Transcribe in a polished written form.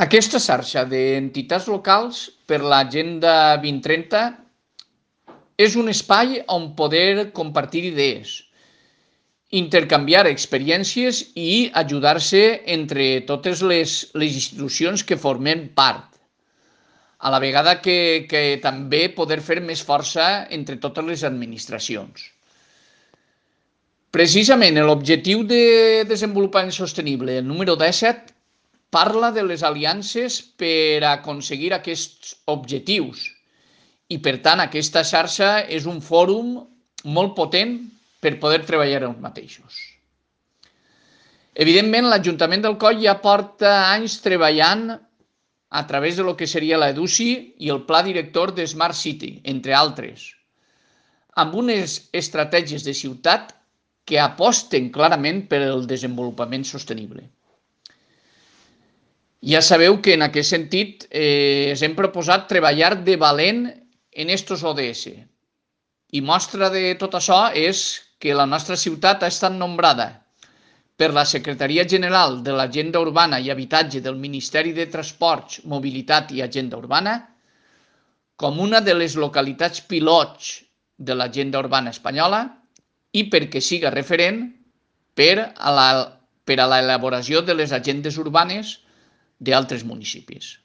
Aquesta xarxa d'entitats locals per l'Agenda 2030 és un espai on poder compartir idees, intercanviar experiències i ajudar-se entre totes les institucions que formem part, a la vegada que també poder fer més força entre totes les administracions. Precisament l'objectiu de desenvolupament sostenible, el número 17, parla de les aliances per aconseguir aquests objectius i, per tant, aquesta xarxa és un fòrum molt potent per poder treballar els mateixos. Evidentment, l'Ajuntament d'Alcoi ja porta anys treballant a través de lo que seria l'EDUCI i el Pla Director de Smart City, entre altres, amb unes estratègies de ciutat que aposten clarament per el desenvolupament sostenible. Ja sabeu que en aquest sentit ens hem proposat treballar de valent en estos ODS. I mostra de tot això és que la nostra ciutat ha estat nombrada per la Secretaria General de l'Agenda Urbana i Habitatge del Ministeri de Transports, Mobilitat i Agenda Urbana com una de les localitats pilots de l'Agenda Urbana espanyola i perquè siga referent per a l'elaboració de les agendes urbanes d'altres municipis.